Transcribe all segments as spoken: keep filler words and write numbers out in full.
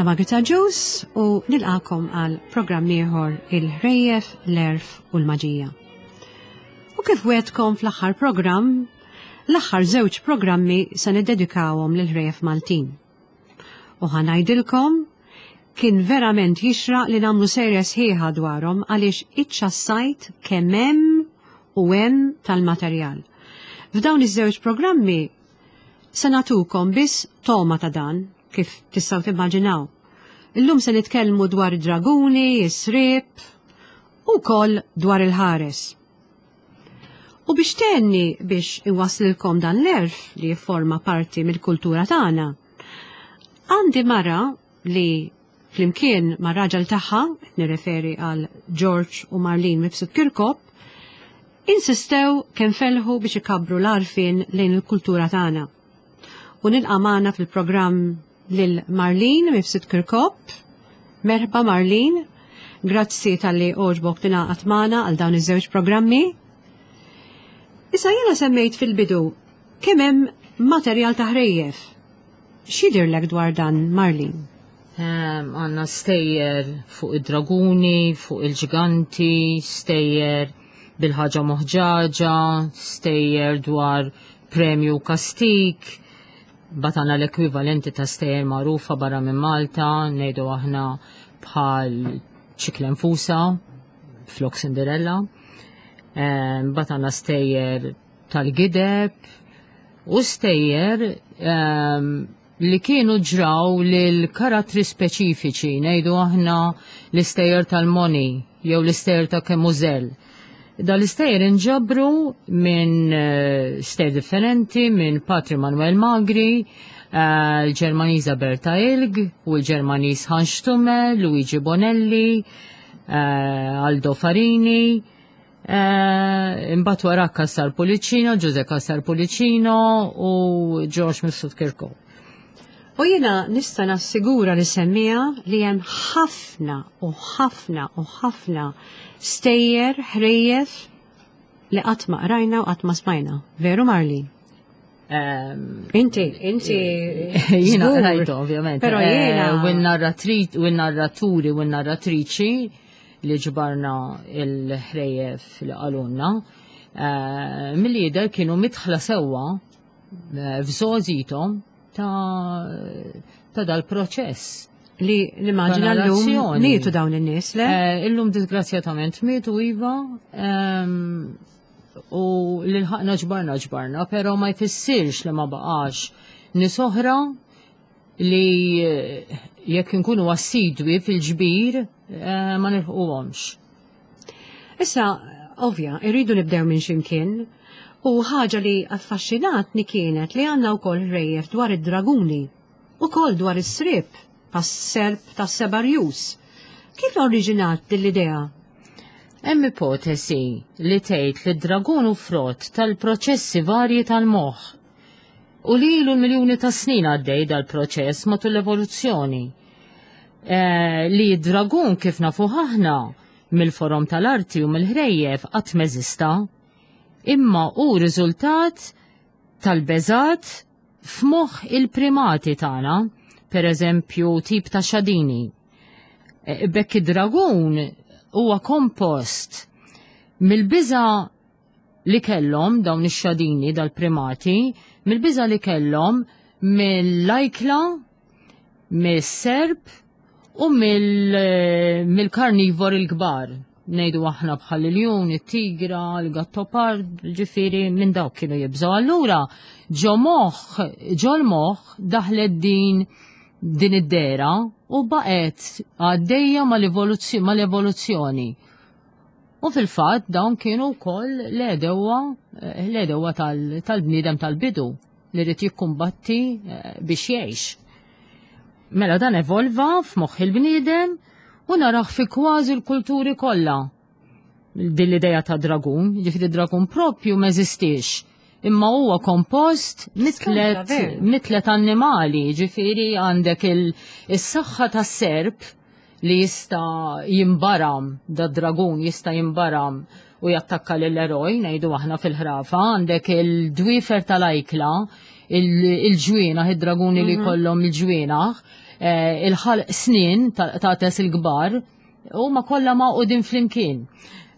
Jiena Margaret Agius u nilqagħkom għal programm ieħor, Il-Ħrejjef, l-Għerf u l-Maġija. U kif wegħedtkom fl-aħħar programm, l-aħħar żewġ programmi se niddedikawhom lil ħrejjef Maltin. U ħa ngħidilkom, kien verament jixraq li nagħmlu serja sħiħa dwarhom għaliex iċċassajt kemm hemm u hemm tal-materjal. F'dawn iż-żewġ programmi se nagħtukom biss togħma ta' dan, kif tistgħu timmaġinaw. Illum se nitkellmu dwar id-draguni, is-sriep u wkoll dwar il-ħares. U biex tgħinni biex inwaslilkom dan l-għerf li jifforma parti mill-kultura tagħna, għandi mara li flimkien ma' raġel tagħha, nirreferi għal George u Marlene Mifsud Kirkop, insistew kemm felħu biex ikabbru l-għarfien lejn il-kultura tagħna. U nilqa' magħna fil-programm lil Marlene Mifsud Kirkop. Merħba, Marlene, grazzi talli għoġbok tingħaqad magħna għal dawn iż-żewġ programmi. Issa, jiena semmejt fil-bidu kemm hemm materjal ta' ħrejjef. X'jidhirlek dwar dan, Marlene? Għandna stejjer fuq id-draguni, fuq il-ġiganti, stejjer bil-ħaġa moħġaġa, stejjer dwar premju kastik, batana l-ekwivalenti ta' stejjer magħrufa barra minn Malta, ngħidu aħna bħal Ċiklenfusa, flok Cinderella, batana stejjer tal-gideb u stejjer li kienu ġraw lil karattri speċifiċi, ngħidu aħna l-istejjer tal-Moni jew l-istejjer ta' Kemużell. Dal-istejjer inġabru minn eh, stejjer differenti, minn Patri Manuel Magri, eh, l-Ġermaniża Berta Ilg u l-Ġermaniż Hans Stumme, Luigi Bonelli, eh, Aldo Farini, imbagħad wara Cassar Pullicino, Giuseppe Cassar Pullicino u George Mifsud Kirkop. U jiena nista' nassigura li semmija li hemm ħafna u ħafna u ħafna stejjer, ħrejjef li qatt ma qrajna u qatt ma smajna. Veru, Marlene? Inti, inti. Jiena rajtu, ovvjament. Però jiena. U n-narraturi u n-narratriċi li ġbarna il-ħrejjef li qalulna, mill-lider kienu midħla sewwa f'żgħożithom ta' ta' dal-proċess. Li nimmaġina l-lum mietu dawn in-nies, le? Illum disgrazzjatament mietu, iva, u l-ħaqna ġbarna ġbarna, pero ma jfissirx li ma baqax nies oħra li jekk nkunu assidwi fil-ġbir ma nilħquhomx. Issa, ovvja, irridu nibdew minn ximkien, u ħaġa li affaxxinatni kienet li għandna wkoll ħrejjef dwar id-draguni, ukoll dwar is-sriep, tas-serp tas-seba' rjus. Kif oriġinat din l-idea? Hemm ipotesi li tgħid li d-dragun hu frott tal-proċessi varji tal-moħħ u li ilu l-miljuni ta' snin għaddej dal-proċess matul l-evoluzzjoni. Eh, li d-dragun kif nafu aħna mill-forom tal-arti u mill-ħrejjef qatt m'eżista, imma hu riżultat tal-beżat f'moħħ il-primati tagħna, per eżempju tip ta' xadini. Eh, Bekk id-dragun huwa kompost mill-biża li kellhom dawn ix-xadini dal-primati, mill-biża li kellhom mill-ajkla, mis-serp u mill-karnivor il-kbar. Ngħidu aħna bħal il-ljun, it-tigra, il-gattopard, ġifieri minn dawk kienu jibżgħu. Allura ġo moħħ, ġo l-moħħ daħlet din din id-dera u baqgħet għaddejja mal-evoluzzjoni. U fil-fatt dawn kienu wkoll l-għedewwa l-għedewwa tal-bniedem tal-bidu li rid jikkumbatti eh, biex jgħix. Mela dan evolva f'moħħ il-bniedem u naraħ fi kważi l-kulturi kollha din l-idea ta' dragun, ġifieri dragun propju m'eżistix. Imma huwa kompost mitlet annimali, ġifieri għandek il-saħħa tas-serp li jista' jimbaram, da dragun jista' jimbaram u jattakka l-eroj, ngħidu aħna fil-ħrafa, għandek il-dwifer tal-ajkla, il-ġwienaħ, id-draguni li mhm. kollhom il-ġwienaħ, eh, il-ħalq snien ta' tes il-kbar, huma kollha magħqudin flimkien.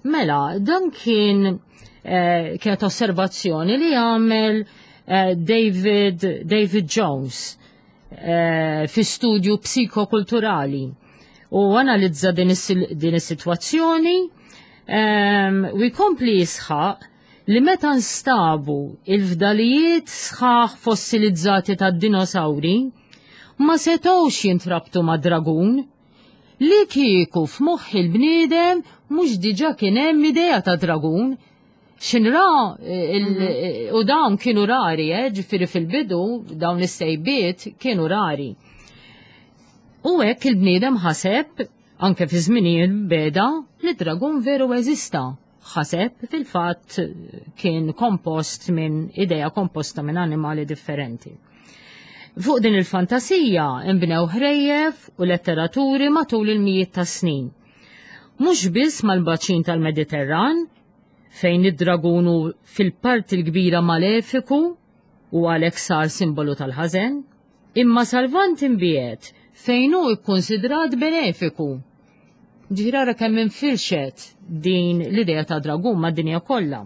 Mela, dan kien eh, kienet osservazzjoni li għamel eh, David, David Jones eh, fi studju psikokulturali u analizza din is-sitwazzjoni ehm, u jkompli jisħaq li meta nstabu il-fdalijiet sħaħ fossilizzati tad-dinosawri ma setgħux jintrabtu ma' dragun li kieku f'moħħ il-bniedem mhux diġà kien hemm idea ta' dragun. Xinra mhm. u dawn kienu rari, eh, ġifieri fil-bidu dawn is-sejbiet kienu rari. U hekk il-bniedem ħaseb anke fi żminijiet beda li dragun veru eżista. Ħaseb fil-fatt kien kompost minn idea komposta minn animali differenti. Fuq din il-fantasija imbnew ħrejjef u letteraturi matul il-mijiet ta' snin. Mhux biss mal-baċin tal-Mediterran, fejn id-dragun hu fil-parti l-kbira malefiku u għalhekk sar simbolu tal-ħażen, imma sal-Lvant imbiegħed fejn hu kkunsidrat benefiku. Ġifieri ara kemm infirxet din l-idea ta' dragun mad-dinja kollha.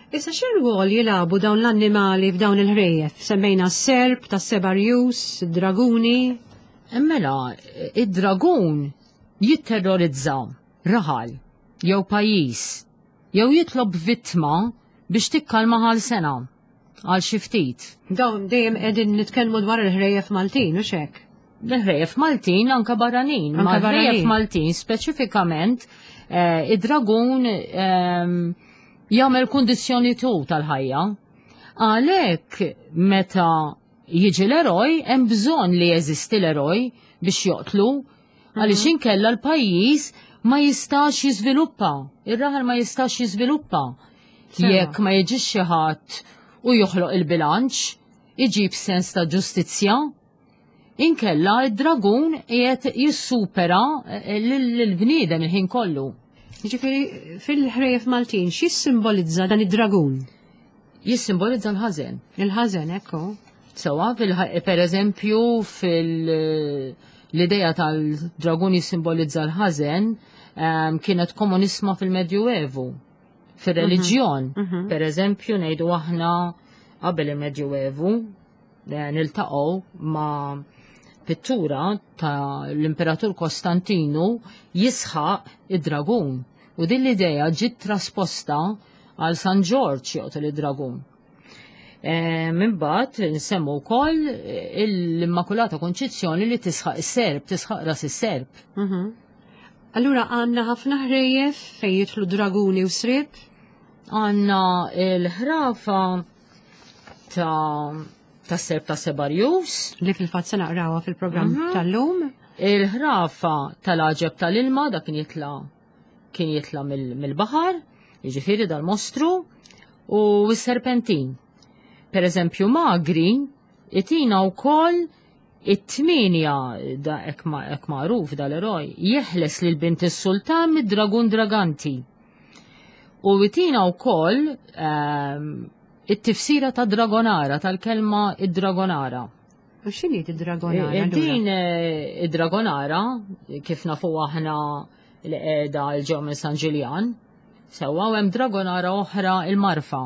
Issa xi rwol jilagħbu dawn l-annimali f'dawn il-ħrejjef? Semmejna s-serp, tas-seba' rjus, id-draguni. Mela, id-dragun jitterrorizza raħal jew pajjiż jew jitlob vittma biex tikkalma għal sena, għal xi ftit. Dawn dejjem qegħdin nitkellmu dwar il-ħrejjef Maltin, u hekk? Il-ħrejjef Maltin anka barranin. Anka Ma l-ħrejjef barranin. Maltin speċifikament eh, id-dragun ehm, jagħmel kundizzjoni tu tal-ħajja. Għalhekk meta jiġi l-eroj, hemm bżonn li jeżisti l-eroj biex joqtlu, għaliex inkella l-pajjiż ma jistax jiżviluppa, ir-raħal ma jistax jiżviluppa. Sewa. Jekk ma jiġix xi ħadd u joħloq il-bilanċ, iġib sens ta' ġustizzja, inkella id-dragun qiegħed jissupera eh, lill-bniedem il-ħin kollu. Ġifieri fil-ħrejjef Maltin x'jissimbolizza dan id-dragun? Jissimbolizza l-ħażen. Il-ħażen, ekku. Sewa, per eżempju, fil-idea tal-dragun jissimbolizza l-ħażen ehm, kienet komunisma fil-Medjuevu, fil-reliġjon. Mhm. Per eżempju, ngħidu aħna qabel il-Medjuevu, eh, niltaqgħu ma' pittura ta' l-Imperatur Kostantinu jisħaq id-dragun. U din l-idea ġiet trasposta għal San Ġorġ joqtol id-dragun. E, Minbat nsemmu wkoll l-Immakulata Konċizzjoni li tisħaq is-serp, tisħaq ras is-serp. Mhm. Allura għandna ħafna ħrejjef fejn jidħlu draguni u sriep. Għandna l-ħrafa ta' ta' serp ta' Sebarjus, Li fil-fatt se naqrawha fil-programm Mhm. tal-lum. il-ħrafa tal-għaġeb tal-ilma, da kien jitla kien jitla mill- mill-baħar, jiġifieri dal-mostru, u s-serpentin. Per eżempju, Magri itina wkoll it-tminja da ek ma- ek magħruf dal-eroj, jeħles lil bint is-sultan mid-dragun draganti. U itina wkoll ehm, it-tifsira ta' dragonara, tal-kelma id-dragonara. U x'inhi id-dragonara? Eh, allura? Din eh, id-dragonara, kif nafu aħna li qiegħda l-ġew minn San Ġiljan, sewwa u hemm dragonara oħra il-Marfa.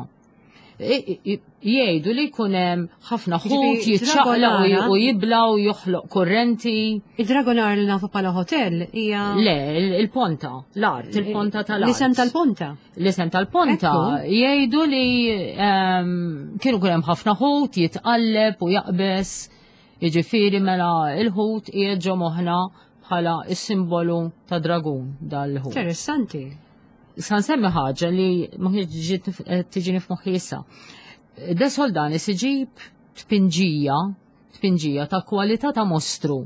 I- i- Jgħidu li jkun hemm ħafna ħut Jiġifieri jiċċaqlaq u dragonara- u jibla u joħloq kurrenti. Id-dragonara li nafu bħala hotel hija Le, il- il-ponta, l-art, il-ponta tal-art. L-isem tal-ponta. L-isem tal-ponta Ekku. jgħidu li ehm, kienu kull hemm ħafna ħut jitqalleb u jaqbes, jiġifieri mela il-ħut qiegħed ġo moħħna bħala is-simbolu ta' dragun dal-ħut. Interessanti. Sa nsemmi ħaġa li ma kienx ġiet eh, tiġini f'moħħi issa. De Soldanis iġib tpinġija, tpinġija ta' kwalità ta' mostru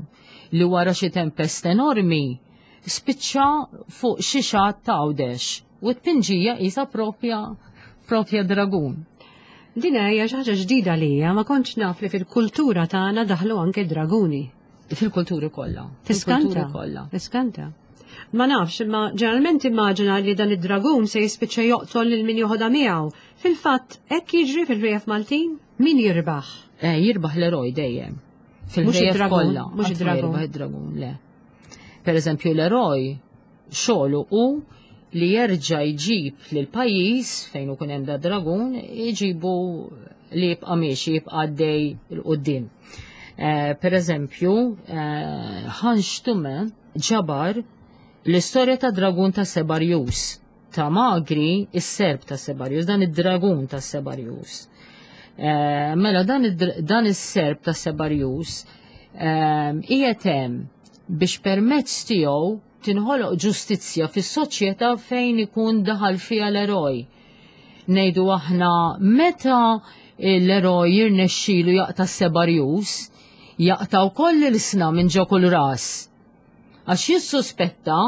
li wara xi tempest enormi spiċċa fuq xi xatt ta' Għawdex u tpinġija isa propja propja dragun. Din hija xi ħaġa ġdida lija, ma kontx naf li fil-kultura tagħna daħlu anke draguni. Fil-kulturi kollha. Tiskanta. Fil-kulturi kollha. Tiskanta. Ma nafx, imma ġeneralment immaġina li dan id-dragun se jispiċċa joqtol lil min joħodha miegħu. Fil-fatt, hekk jiġri fil-ħrejjef Maltin, min jirbaħ? Eh, jirbaħ l-eroj dejjem. Fil-ħrejjef kollha. Mhux id-dragun. Id-dragun, le. Per eżempju l-eroj xogħlu hu li jerġa' jġib lil pajjiż fejn ikun hemm da dragun jġibu li jibqa' miexi, jibqa' għaddej 'il quddiem. Eh, per eżempju, eh, Hans Stumme ġabar l-istorja ta' dragun ta' Sebarjus, ta' Magri, is-serp ta' Sebarjus, dan id-dragun ta' Sebarjus. Eh, mela dan, dan is-serp ta' Sebarjus qiegħed hemm biex permezz tiegħu tinħoloq ġustizzja fis-soċjetà fejn ikun daħal fiha l-eroj. Ngħidu aħna meta l-eroj jirnexxilu jaqta' s-Sebarjus, jaqta' wkoll l-isna minn ġo kull ras. Għax jissuspetta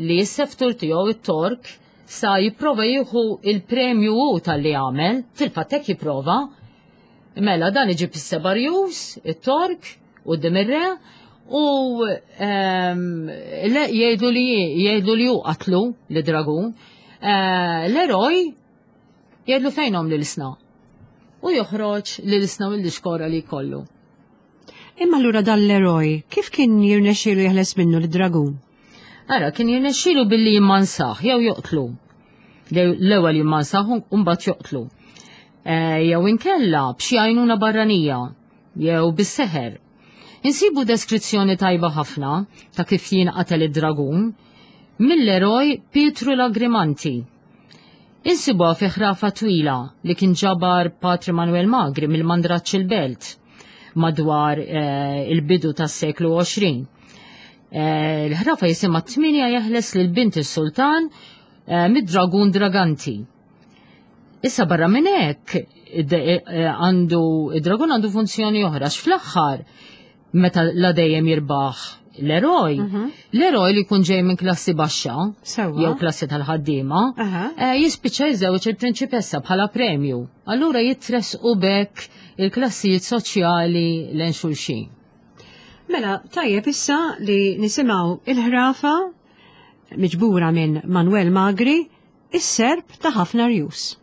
li s-seftur tiegħu it-Tork sa jipprova jieħu il-premju hu tal-li għamel, fil-fatt hekk jipprova. Mela dan iġib is-Sebarjus, it-Tork, quddiem ir-re, u jgħidu li jgħidu li hu qatlu li dragun. L-eroj jgħidlu fejnhom l-isna. U joħroġ l-isna mill-iskora li jkollu. Imma allura dan l-eroj, kif kien jirnexxielu jeħles minnu l-dragun? Ara, kien jirnexxielu billi jimmansaħ, jew joqtlu. L-ewwel jimmansaħ u mbagħad joqtlu. Jew inkella b'xi għajnuna barranija, jew bis-seħer. Insibu deskrizzjoni tajba ħafna ta' kif jinqatel id-dragun mill-eroj Pietru Lagrimanti. Insibuha fi ħrafa twila li kien ġabar Patri Manuel Magri mill-Mandraċċ il-Belt madwar eh, il-bidu tas-seklu għoxrin. Eh, l-ħrafa jisimha Tminja jeħles lil bint is-sultan eh, mid-dragun Draganti. Issa barra minn hekk għandu id-dragun għandu funzjoni oħra x'fl-aħħar meta la dejjem jirbaħ l-eroj, mhm. l-eroj li jkun ġej minn klassi baxxa jew klassi tal-ħaddiema, jispiċċa jiżewġ il-prinċipessa bħala premju. Allura jitresqu bekk il-klassijiet soċjali lejn xulxin. Mela, tajjeb issa li nisimgħu il-ħrafa miġbura minn Manuel Magri, is-serp ta' ħafna rjus.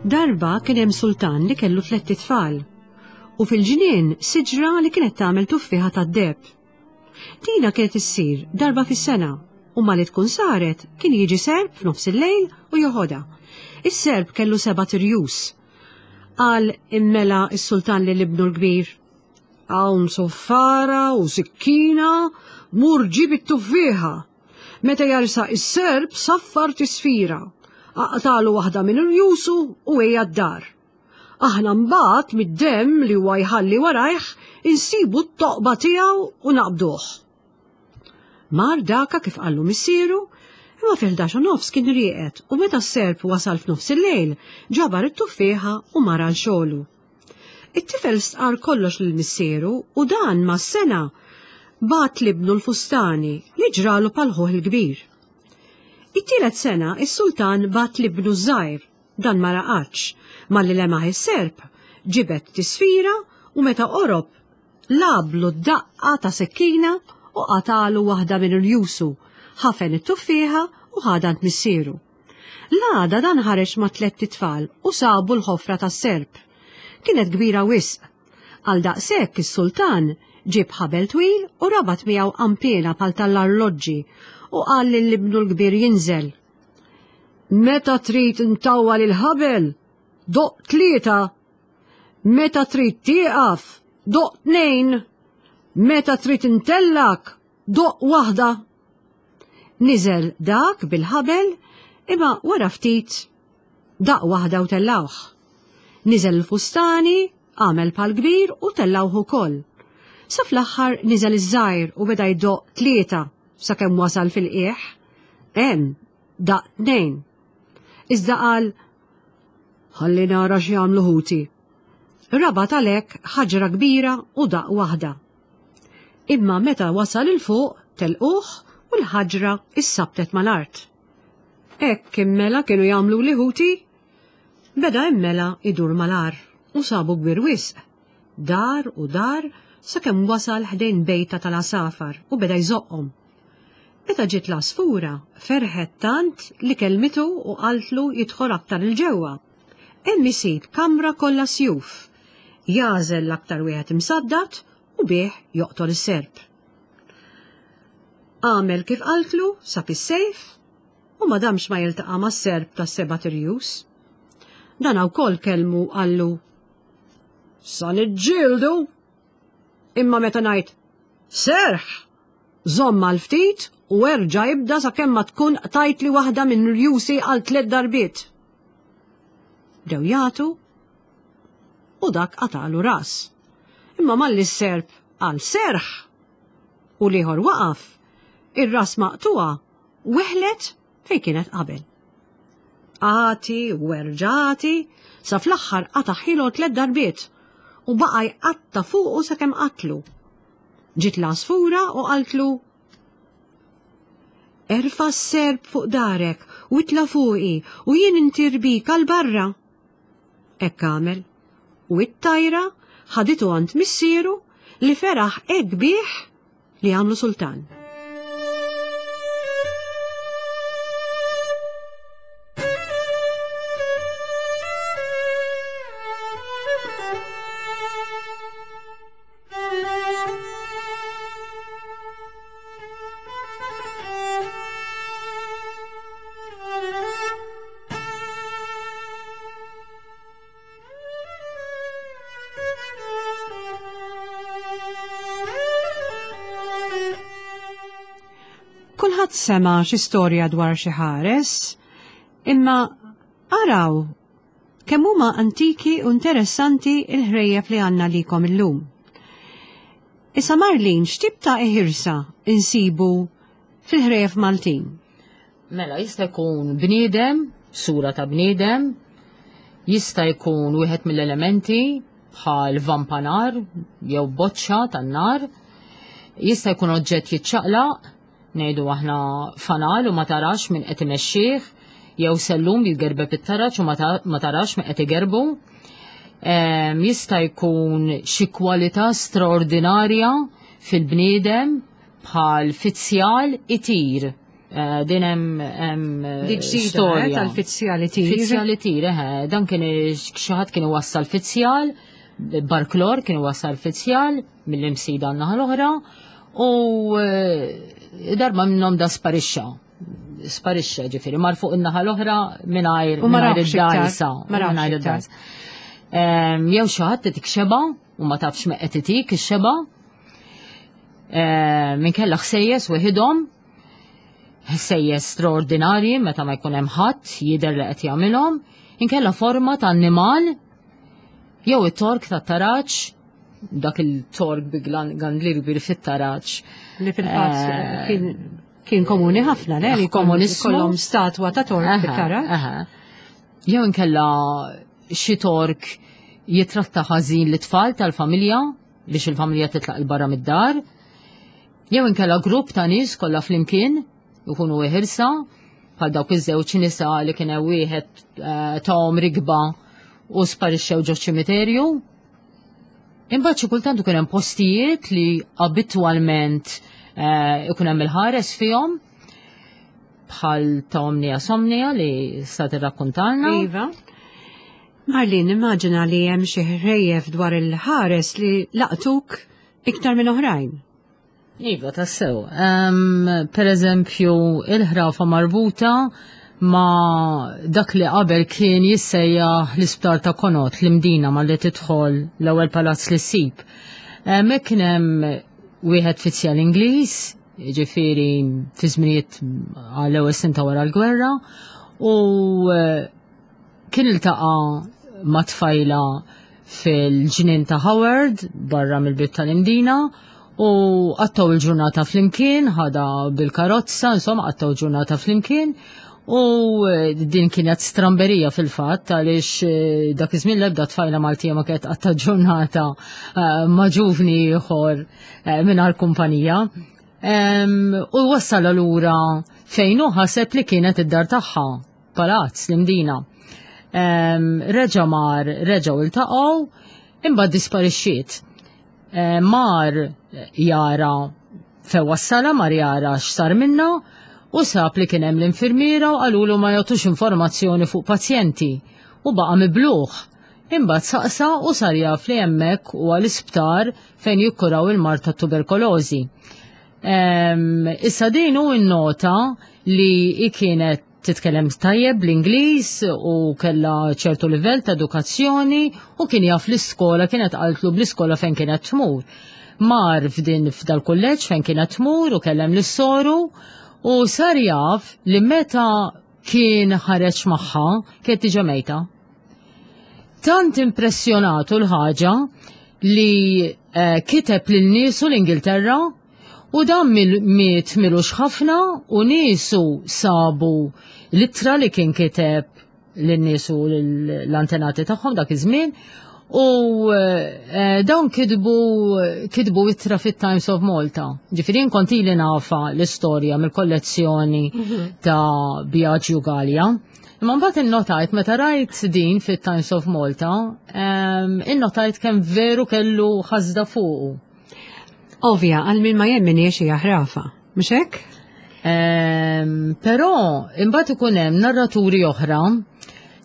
Darba kien hemm sultan li kellu tlett itfal u fil-ġnien siġra li kienet tagħmel tuffieħa tad-deheb. Tina kienet issir darba fis-sena u malli tkun saret kien jiġi serp f'nofs il-lejl u joħodha. Is-serp kellu seba' tirjus. Qal immela s-sultan lil ibnu l-kbir, hawn soffara u sikkina, mur ġib it-tuffieħa. Meta jarsaq is-serp saffar tisfira. Aqtalu waħda minn irjusu u ejja d-dar. Aħna mbagħad mid-demm li huwa jħalli warajh insibu t-toqba tiegħu u naqbduh. Mar daka kif qallu missieru, imma fil-ħdax u nofs kien rieqed u meta s-serp wasal f'nofs il-lejl ġabar it-tuffieħa u mar għal xogħlu. It-tifel stqar kollox lil missieru u dan mas-sena bagħat libnu l-fustani li ġralu pal ħuh il-kbir. It-tielet sena is-sultan bagħat libnu żgħir, dan ma raqadx, malli lemaħ is-serp, ġibed tisfira u meta qorob lablu d-daqqa ta' sekkina u qatalu waħda minn irjusu, ħafen it-tuffieħa u ħadha għand missieru. L-għada dan ħareġ ma' tlett itfal u sabu l-ħofra tas-serp. Kienet kbira wisq. Għal daqshekk is-sultan ġib ħabel twil u rabat miegħu qampiena bħal tal-arloġġi u qal lil ibnu l-kbir jinżel. Meta trid intawwal il-ħabel, doq tlieta. Meta trid tieqaf, doq tnejn. Meta trid intellak, doq waħda. Niżel dak bil-ħabel imma wara ftit daq waħda u tellawh. Niżel il-fustani, għamel pal kbir u tellawh ukoll. Sa fl-aħħar niżel iż-żgħir u beda jdoq tlieta sakemm wasal fil-qiegħ. Hemm daq tnejn. Iżda qal, ħalli nara x'jagħmlu ħuti. Rabat għalhekk ħaġra kbira u daq waħda. Imma meta wasal il fuq telquh u u l-ħaġra issabtet mal-art. Hekk immela kienu jagħmlu li ħuti. Beda immela idur mal-ar u sabu kbir wisq. Dar u dar sakemm wasal ħdejn bejta tal-għasafar u beda jżoqqhom. Meta ġiet l-għasfura, ferħet tant li kelmitu u qaltlu jidħol aktar il-ġewwa. Hemm isib kamra kollha sjuf. Jagħżel l-aktar wieħed imsaddad u bih joqtol is-serp. Għamel kif qaltlu, sab is-sejf u ma damx ma jiltaqa' mas-serp tas-seba' tirjus. Dan wkoll kellmu qallu: Sa niġġieldu! Imma meta ngħid serħ, żomm għal ftit u erġa' ibda sakemm ma tkun qtajtli waħda minn rjusi għal tliet darbiet. Bdew jagħtu u dak qatalu ras. Imma malli s-serp għal serħ u l-ieħor waqaf, ir-ras maqtuha weħlet fejn kienet qabel. Għati u erġati sa fl-aħħar qataħħilu tliet darbiet u baqa' jqatta' fuqu sakemm qatlu. Ġiet l-għasfura u qaltlu: Erfa' s-serp fuq darek u itla' fuqi u jien intir bik għal barra. Hekk għamel u it-tajra ħaditu għand missieru li feraħ hekk bih li għamlu sultan. Kulħadd sema' xi storja dwar xi ħares, imma araw kemm huma antiki u interessanti l-ħrejjef li għandna likom illum. Issa Marlene, x'tip ta' iħirsa insibu fil-ħrejjef Maltin? Mela, jista' jkun bniedem, sura ta' bniedem, jista' jkun wieħed mill-elementi bħal vampanar jew boċċa tan-nar, jista' jkun oġġett jiċċaqlaq, ngħidu aħna fanal u ma tarax min qed imexxih, jew sellum jitgerbeb it-taraġ u ma tarax min qed igerbu. Jista' jkun xi kwalità straordinarja fil-bniedem bħal fizzjal itir. Din hemm storja tal-fizzjal itir. Fizzjal itir, eħe, dan kien xi ħadd kien iwassal fizzjal, barklor kien iwassal fizzjal mill-imsida għan-naħa l-oħra, u darba minnhom da sparixxa. Sparixxa ġifieri, mar fuq in-naħa l-oħra mingħajr id-dajsa. Mingħajr id-dajsa. Jew xi ħadd titik xeba u ma tafx me qed itik ix-xeba. Minkella ħsejjes weħidhom, ħsejjes straordinarji meta ma jkun hemm ħadd jidher li qed jagħmilhom, inkella forma ta' annimal jew it-tork tat-taraġ, dak il-tork bi gandlir kbir fit-taraġ. Li fil-fatt kien kien komuni ħafna, le? Li kollhom statwa ta' tork fit-taraġ. Jew inkella xi tork jitratta ħażin l-tfal tal-familja biex il-familja titlaq il barra mid-dar. Jew inkella grupp ta' nies kollha flimkien ikunu iħirsa bħal dawk iż-żewġ nisa li kien hemm wieħed tahom rigba u sparixxew ġo ċimiterju. Imbagħad xi kultant ikun hemm postijiet li abitwalment ikun hemm il-ħares fihom bħal ta' Omnia Somnia li sta tirrakkuntalna. Iva. Marlene, immaġina li hemm xi ħrejjef dwar il-ħares li laqtuk iktar minn oħrajn. Iva, tassew. Um, per eżempju, il-ħrafa marbuta ma dak li qabel kien jissejjaħ l-isptar ta' Konot, l-Imdina ma li tidħol l-ewwel palazz li ssib. Hemmhekk kien hemm wieħed fizzjal Ingliż, ġifieri fi żminijiet għall-ewwel snin ta' wara l-gwerra, u kien iltaqa' ma' tfajla fil-ġnien ta' Howard barra mill-bieb tal-Imdina, u qattgħu il-ġurnata flimkien, ħada bil-karozza, insomma qattgħu ġurnata flimkien. U din kienet stramberija fil-fatt għaliex dak iż-żmien l-ebda tfajla Maltija ma kienet qatta ġurnata ma' ġuvni ieħor mingħajr kumpanija. U wassala lura fejn hu ħaseb li kienet id-dar tagħha, palazz l-Imdina. Reġa' mar, reġgħu iltaqgħu, imbagħad disparixxiet. Mar jara fejn wassala, mar jara x'sar minna, u sab li kien hemm l-infirmiera u qalulu ma jagħtux informazzjoni fuq pazjenti u baqa' mibluħ. Imbagħad saqsa u sar jaf li hemmhekk huwa l-isptar fejn jikkuraw il-mard tat-tuberkolożi. Issa din hu nnota li hi kienet titkellem tajjeb bl-Ingliż u kellha ċertu livell ta' edukazzjoni u kien jaf l-iskola, kienet qaltlu bl-iskola fejn kienet tmur. Mar f'din f'dal-kulleġġ fejn kienet tmur u kellem lis-soru u sar jaf li meta kien ħareġ magħha kienet diġà mejta. Tant impressjonatu l-ħaġa li eh, kiteb lil niesu l-Ingilterra u dan miet milux ħafna u niesu sabu l-ittra li kien kiteb lin-niesu l-antenati tagħhom dak iż-żmien u eh, dawn kitbu kitbu ittra fit-Times of Malta. Ġifieri kont ili nafa l-istorja mill-kollezzjoni ta' Biagio Gallia. Imma mbagħad innotajt meta rajt din fit-Times of Malta, innotajt kemm veru kellu ħasda fuqu. Ovvja, għal min ma jemminix hija ħrafa, mhux hekk? Però imbagħad ikun hemm narraturi oħra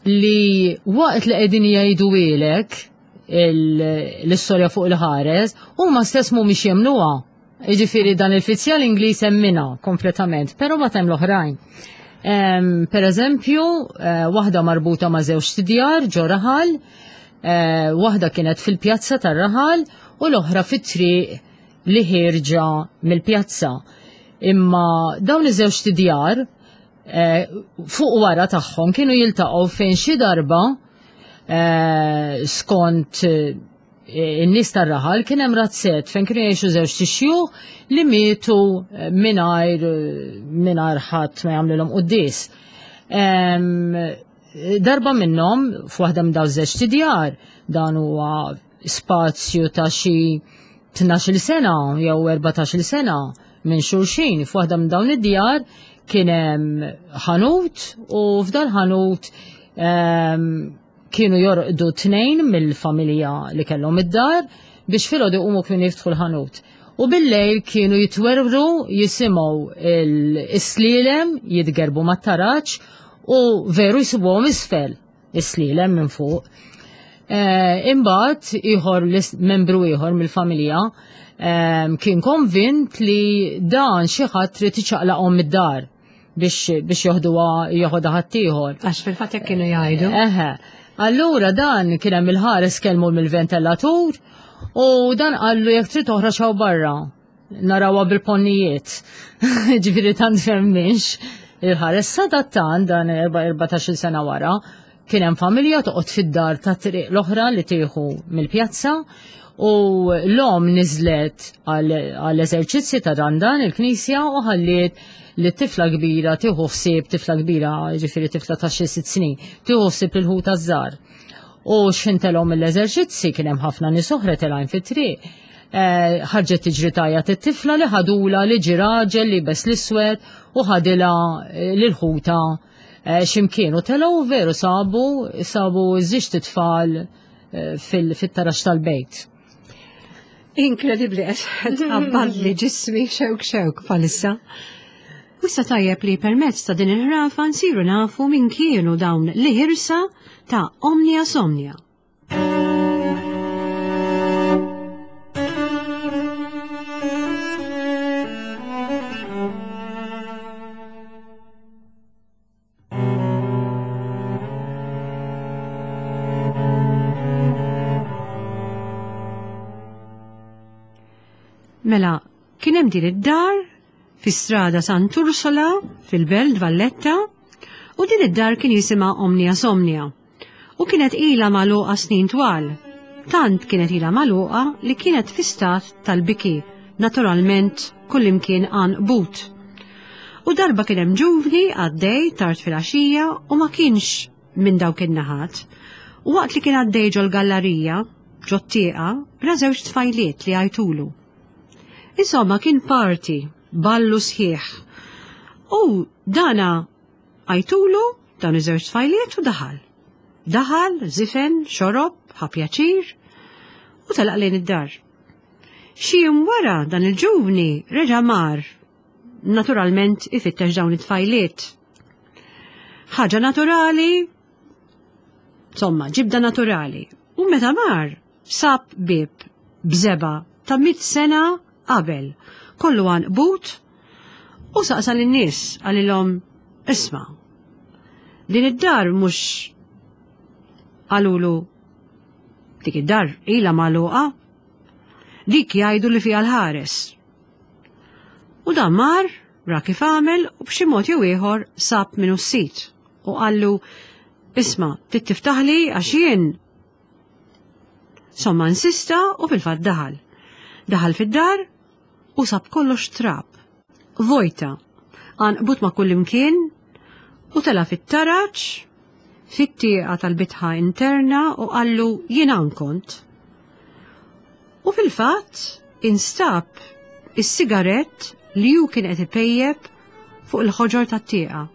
li waqt li qegħdin jgħiduhielek l-istorja fuq il-ħares, huma stess mhumiex jemmnuha. Jiġifieri dan il-fizzjal Ingliż emminha kompletament, però ma hemm l-oħrajn. Per eżempju, waħda marbuta ma' żewġ tidjar ġo raħal, waħda kienet fil-pjazza tar-raħal u l-oħra fit-triq li ħierġa mill-pjazza. Imma dawn iż-żewġ tidjar fuq wara tagħhom kienu jiltaqgħu fejn xi darba skont in-nies tar-raħal kien hemm razzett fejn kienu jgħixu żewġ tixjuħ li mietu mingħajr mingħajr ħadd ma jagħmlilhom quddies. Darba minnhom f'waħda minn dawn żewġ tidjar, dan huwa spazju ta' xi tnax-il sena jew erbatax-il sena minn xulxin, f'waħda minn dawn id-djar kien hemm ħanut u f'dan ħanut kienu jorqdu tnejn mill-familja li kellhom id-dar biex filgħodu jqumu kienu jiftħu l-ħanut. U bil-lejl kienu jitwerwru jisimgħu is-slielem jitgerbu mat-taraġ u veru jsibuhom isfel is-slielem minn fuq. Imbagħad ieħor membru ieħor mill-familja kien konvint li dan xi ħadd trid iċaqlaqhom mid-dar biex biex joħduha joħodha ħaddieħor. Għax fil-fatt hekk kienu jgħidu. Eħe. Allura dan kien hemm il-ħares kellmu mill-ventilatur u dan qallu jekk trid toħroġ hawn barra narawha bil-ponnijiet. Ġifieri tant femmix il-ħares. Sadattant dan erbatax-il sena wara kien hemm familja toqgħod fid-dar ta' triq l-oħra li tieħu mill-pjazza u l-om niżlet għall-eżerċizzji ta' Randan il-knisja u ħalliet li tifla kbira tieħu ħsieb, tifla kbira ġifieri tifla ta' xi sitt snin, tieħu ħsieb il-ħuta żgħar. U x'intelhom mill-eżerċizzi kien hemm ħafna nies oħra telgħin fit-triq. Ħarġet tiġri tajjat it-tifla li ħadula li ġi raġel li bes l-iswed u ħadilha lil-ħuta x'imkien u telgħu veru sabu sabu żiġt it-tfal fit-tarax tal-bejt. Inkredibbli, qed tqabballi ġismi xewk xewk bħalissa. U issa tajjeb li permezz ta' din il-ħrafa nsiru nafu min kienu dawn li ħirsa ta' Omnia Somnia. Mela, kien hemm din id-dar fi strada Sant'Ursola fil-Belt Valletta u din id-dar kien jisimha Omnia Somnia u kienet ilha magħluqa snin twal. Tant kienet ilha magħluqa li kienet fi stat tal-biki, naturalment kullimkien għanqbut. U darba kien hemm ġuvni għaddej tard filgħaxija u ma kienx minn dawk in-naħat. U waqt li kien għaddej ġol-gallerija, ġot-tieqa, ra żewġ tfajliet li għajtulu. Insomma, kien party Ballu sħiħ. U dana għajtulu dawn iż-żewġ tfajliet u daħal. Daħal, zifen, xorob, ħa pjaċir u telaq lejn id-dar. Xi jum wara dan il-ġuvni reġa' mar, naturalment ifittex dawn it-tfajliet. Ħaġa naturali, insomma, ġibda naturali. U meta mar, sab bib bżeba ta' mit sena qabel, kollu għanqbut, u saqsa lin-nies qalilhom, isma', din id-dar mhux qalulu dik id-dar ilha magħluqa, dik jgħidu li fiha l-ħares. U dan mar, ra kif għamel u b'xi mod jew ieħor sab minnu s-sit u qallu, isma', trid tiftaħli għax jien. Somma insista u fil-fatt daħal. Daħal fid-dar u sab kollox trab. Vojta, għanqbut ma' kull imkien u tela' fit-taraġ, fit-tieqa tal-bitħa interna u qallu jien hawn kont. U fil-fatt instab is-sigarett li hu kien qed ipejjeb fuq il-ħoġor tat-tieqa.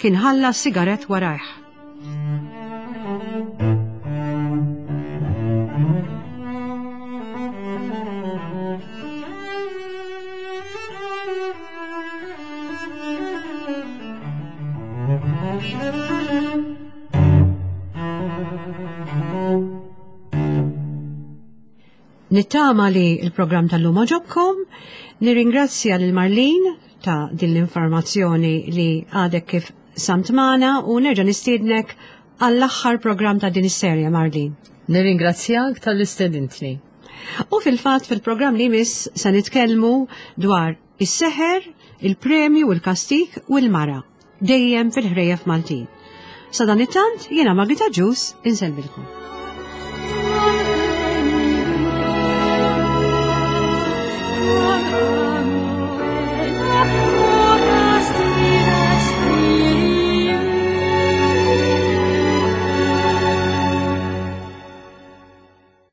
Kien ħalla s-sigarett warajh. Nittama li il-programm tal-lum għoġobkom, nirringrazzja lil Marlene ta' din l-informazzjoni li għadek kif samt magħna u nerġa' nistiednek għall-aħħar programm ta' din is-serje, Marlene. Nirringrazzjak tal-istedintni. U fil-fatt fil-programm li jmiss se nitkellmu dwar is-seħer, il-premju u l-kastik u l-mara, dejjem fil-ħrejjef Maltin. Sadanittant jiena Margit Agius insellmilkom.